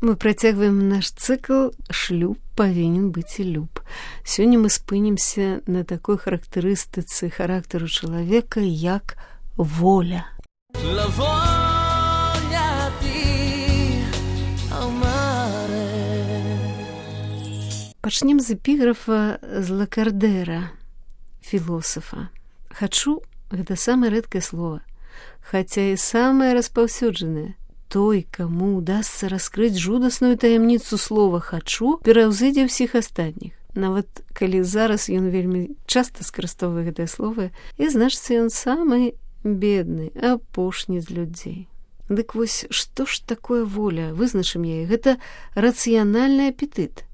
Мы працягваем наш цыкл «Шлюб павінен быць і люб». Сёння мы спынімся на такой характарыстыцы характару чалавека, як воля. Пачнем з эпіграфа з Лакардэра, філосафа. «Хачу» — гэта самае рэдкае слова, хаця і самае распаўсюджанае. Той, каму удасца раскрыць жудасную таямніцу слова «хачу», пераўзыдзе ўсіх астатніх. Нават калі зараз ён вельмі часта скарыстоўвае гэтае слово, і значыцца ён самы бедны, апошні з людзей. Дык вось, што ж такое воля? Вызначым яе. Гэта рацыянальны апетыт,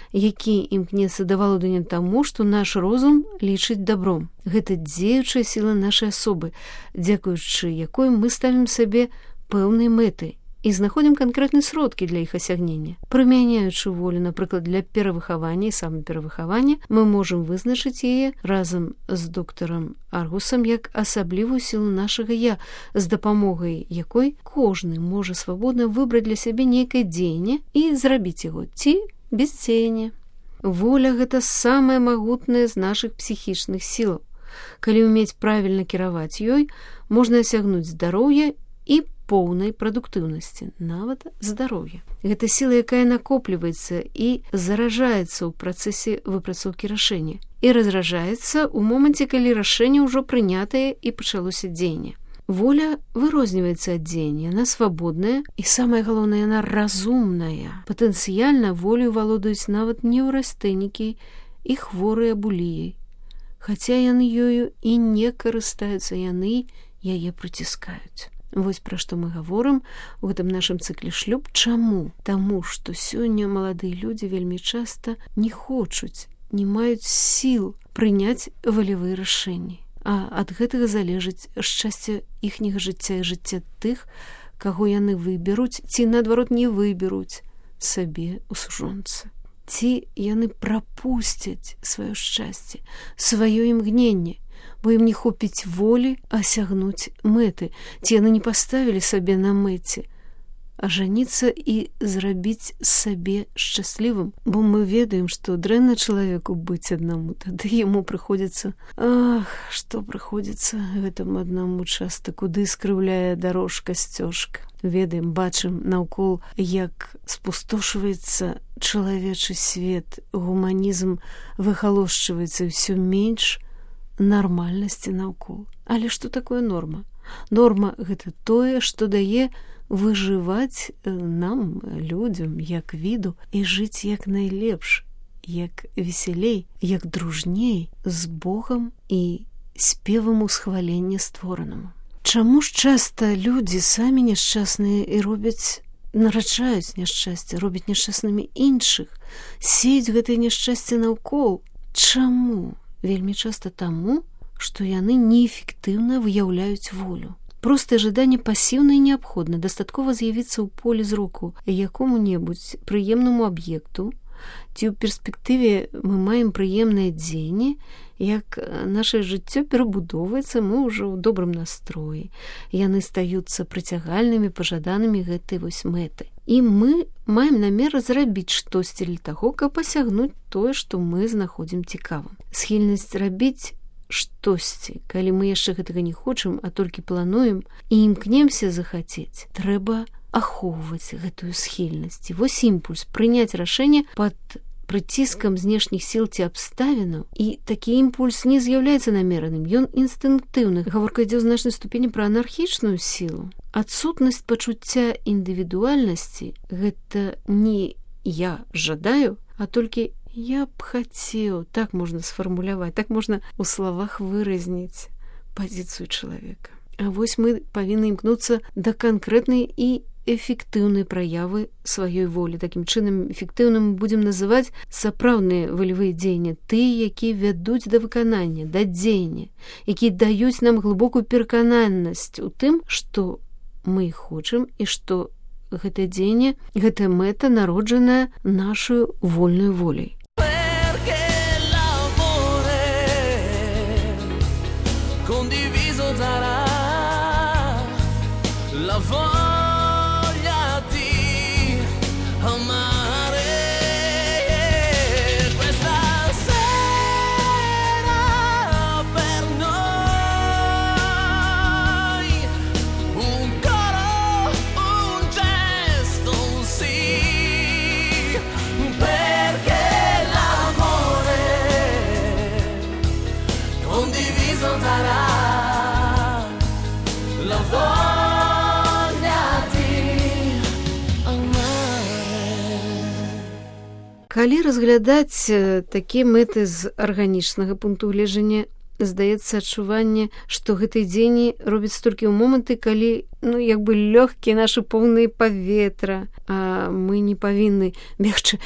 які імкнецца да валодання таму, што наш розум лічыць добром. Гэта дзеючая сіла нашай асобы, дзякуючы якой мы ставім сабе пэўныя мэты і знаходзім канкрэтныя сродкі для іх асягнення. Прымяняючы волю, напрыклад, для перавыхавання і самаперавыхавання, мы можам вызначыць яе разам з доктарам Аргусам як асаблівую сілу нашага «я», з дапамогай якой кожны можа свабодна выбраць для сябе нейкае дзеянне і зрабіць яго ці бесдзеянне. Воля – гэта самая магутная з нашых псіхічных сілаў. Калі ўмець правільна кіраваць ёй, можна асягнуць здароўе і поўнай прадуктыўнасці, нават здароўя. Гэта сіла, якая накопліваецца і заражаецца ў працэсе выпрацоўкі рашэння і разражаецца ў моманце, калі рашэнне ўжо прынятае і пачалося дзеянне. Воля вырозніваецца ад дзеяння, яна свабодная і, самае галоўнае, яна разумная. Патэнцыяльна волю валодаюць нават неўрастэнікі і хворыя буліяй. Хаця яны ёю і не карыстаюцца, яны яе прыціскаюць. Вось пра што мы гаворым у гэтым нашым цыкле «Шлюб». Чаму? Таму, што сёння маладыя людзі вельмі часта не хочуць, не маюць сіл прыняць валявыя рашэнні. А ад гэтага залежыць шчасце іхняга жыцця і жыцця тых, каго яны выберуць ці, наадварот, не выберуць сабе ў сужонцы. Ці яны прапусцяць сваё шчасце, сваё імгненне, бо ім не хопіць волі асягнуць мэты, ці яны не паставілі сабе на мэце ажаніцца і зрабіць сабе шчаслівым, бо мы ведаем, што дрэнна чалавеку быць аднаму, тады яму прыходзіцца, што прыходзіцца гэтаму аднаму часта, куды скрыўляе дарожка, сцёжка. Ведаем, бачым наўкол, як спустошваецца чалавечы свет, гуманізм выхалошчваецца, ўсё менш нармальнасці наўкол. Але што такое норма? Норма – гэта тое, што дае выжываць нам, людзям, як віду, і жыць як найлепш, як весялей, як дружней, з Богам і спевам усхвалення створанаму. Чаму ж часта людзі самі няшчасныя і нараджаюць няшчасце, робяць няшчаснымі іншых, сеюць гэтае няшчасце наўкол? Чаму? Вельмі часта таму, што яны неэфектыўна выяўляюць волю. Простае жаданне пасіўна і неабходна, дастаткова з'явіцца ў полі зроку якому-небудзь прыемнаму аб'екту, ці ў перспектыве мы маем прыемнае дзеянне, як наше жыццё перабудоўваецца, мы ўжо ў добрым настроі. Яны стаюцца прыцягальнымі, пажаданымі гэтай вось мэты. І мы маем намер зрабіць штосьці для таго, каб пасягнуць тое, што мы знаходзім цікавым. Схільнасць рабіць штосьці, калі мы яшчэ гэтага не хочам, а толькі плануем і імкнемся захацець, трэба ахоўваць гэтую схільнасць. Вось імпульс прыняць рашэнне пад прыціскам знешніх сіл ці абставінаў, і такі імпульс не з'яўляецца намераным, ён інстынктыўны. Гаворка ідзе ў значнай ступені пра анархічную сілу. Адсутнасць пачуцця індывідуальнасці – гэта не «я жадаю», а толькі «я б хацеў». Так можна сфармуляваць, так можна ў словах выразніць пазіцыю чалавека. А вось мы павінны імкнуцца да канкрэтнай і эфектыўнай праявы сваёй волі. Такім чынам, эфектыўным будзем называць сапраўдныя валявыя дзеянні, тыя, якія вядуць да выканання, да дзеяння, якія даюць нам глыбокую перакананасць у тым, што мы хочам і што гэтае дзеянне, гэтая мэта народжаная нашаю вольнай воляй. Калі разглядаць такія мэты з арганічнага пункту гледжання, здаецца адчуванне, што гэтай дзені робіць толькі ў моманты, калі лёгкія нашы поўныя паветра, а мы не павінны бегчы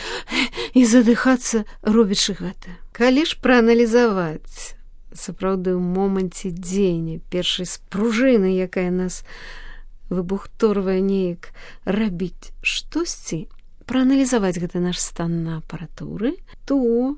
і задыхацца, робячы гэта. Калі ж прааналізаваць сапраўды ў моманце дзеяння першай спружыны, якая нас выбухторвае неяк рабіць штосьці, прааналізаваць гэты наш стан на апаратуры, то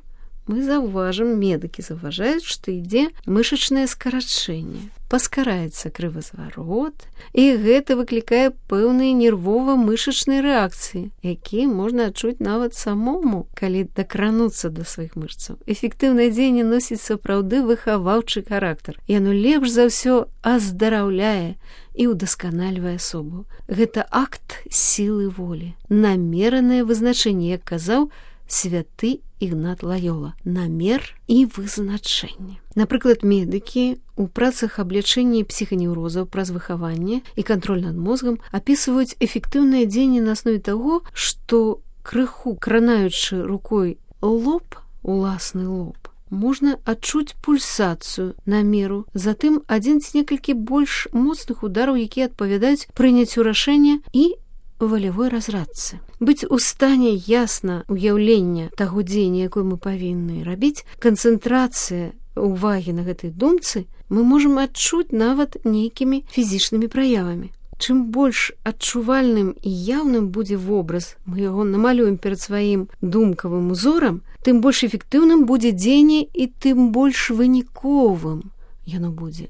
мы заўважым, медыкі заўважаюць, што ідзе мышачнае скарачэнне. Паскараецца крывазварот, і гэта выклікае пэўныя нервова-мышачныя рэакцыі, якія можна адчуць нават самому, калі дакрануцца да сваіх мышцаў. Эфектыўнае дзеянне носіць сапраўды выхаваўчы характар. Яно лепш за ўсё аздараўляе і ўдасканальвае асобу. Гэта акт сілы волі, намеранае вызначэнне, як казаў святы Ігнат Лайола, намер і вызначэнне. Напрыклад, медыкі ў працах аблячэння псіханеўрозаў праз выхаванне і кантроль над мозгам апісваюць эфектыўнае дзеянне на аснове таго, што крыху кранаючы рукой лоб, уласны лоб, можна адчуць пульсацыю намеру, затым адзін ці некалькі больш моцных удараў, якія адпавядаюць прыняццю рашэння і волевой разрадцы. Быць у стане ясна уяўлення таго дзеяння, якое мы павінны рабіць, канцэнтрацыя ўвагі на гэтай думцы мы можам адчуць нават нейкімі фізічнымі праявамі. Чым больш адчувальным і яўным будзе вобраз, мы яго намалюем перад сваім думкавым узорам, тым больш эфектыўным будзе дзеянне і тым больш выніковым яно будзе.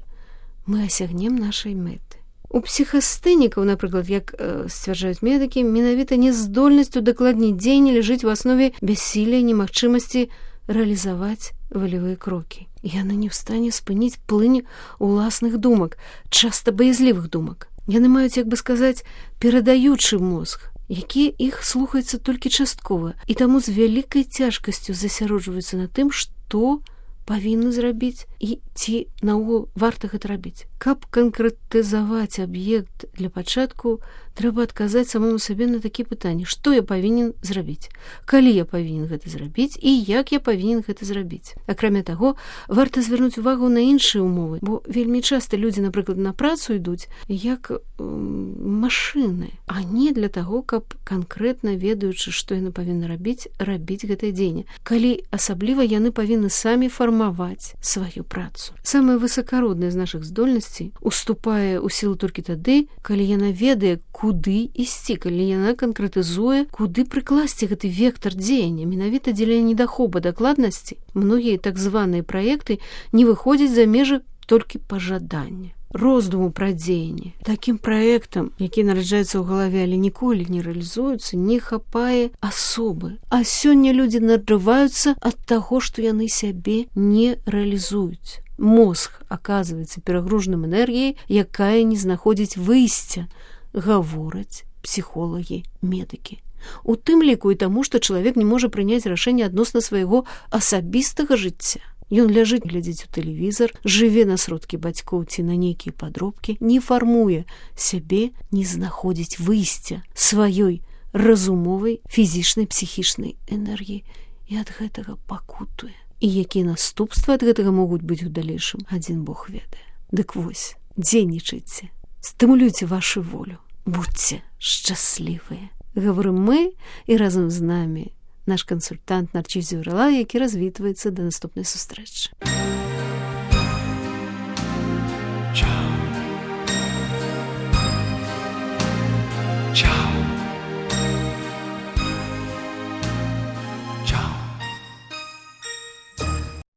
Мы асягнем нашай мэты. У псіхастэнікаў, напрыклад, як сцвярджаюць медыкі, менавіта няздольнасць удакладніць дзеянне ляжыць у аснове бяссілля і немагчымасці рэалізаваць волевыя крокі. Яны не ў стане спыніць плынь уласных думак, часта баязлівых думак. Яны маюць, як бы сказаць, перадаючы мозг, які іх слухаецца толькі часткова, і таму з вялікай цяжкасцю засяроджваюцца на тым, што павінны зрабіць і ці наогул варта гэта рабіць. Каб канкрэтызаваць аб'ект для пачатку, трэба адказаць самому сабе на такія пытанні: што я павінен зрабіць, калі я павінен гэта зрабіць і як я павінен гэта зрабіць. Акрамя таго, варта звярнуць увагу на іншыя умовы, бо вельмі часта людзі, напрыклад, на працу ідуць як машыны, а не для таго, каб канкрэтна ведаючы, што яны павінны рабіць гэтае дзеянне. Калі асабліва яны павінны самі фармаваць сваю працу. Самая высакародная з нашых здольнасцей уступае ў сілу толькі тады, калі яна ведае, куды ісці, калі яна канкрэтызуе, куды прыкласці гэты вектар дзеяння. Менавіта дзеля недахопу дакладнасці многія так званыя праекты не выходзяць за межы толькі пажадання, роздуму пра дзеянне. Такім праектам, які нараджаецца ў галаве, але ніколі не рэалізуюцца, не хапае асобы. А сёння людзі надрываюцца ад таго, што яны сябе не рэалізуюць. Мозг аказваецца перагружаным энергіяй, якая не знаходзіць выйсця, гавораць псіхолагі, медыкі. У тым ліку і таму, што чалавек не можа прыняць рашэнне адносна свайго асабістага жыцця. Ён ляжыць глядзець у тэлевізар, жыве на сродкі бацькоў ці на нейкія падробкі, не фармуе сябе, не знаходзіць выйсця сваёй разумовай, фізічнай, псіхічнай энергіі і ад гэтага пакутуе. І якія наступствы ад гэтага могуць быць у далейшым, адзін Бог ведае. Дык вось, дзейнічайце, стымулюйце вашу волю, будьце шчаслівыя. Гаворым мы, і разам з намі наш кансультант Нарчис Зюрала, які развітваецца да наступнай сустрэчы.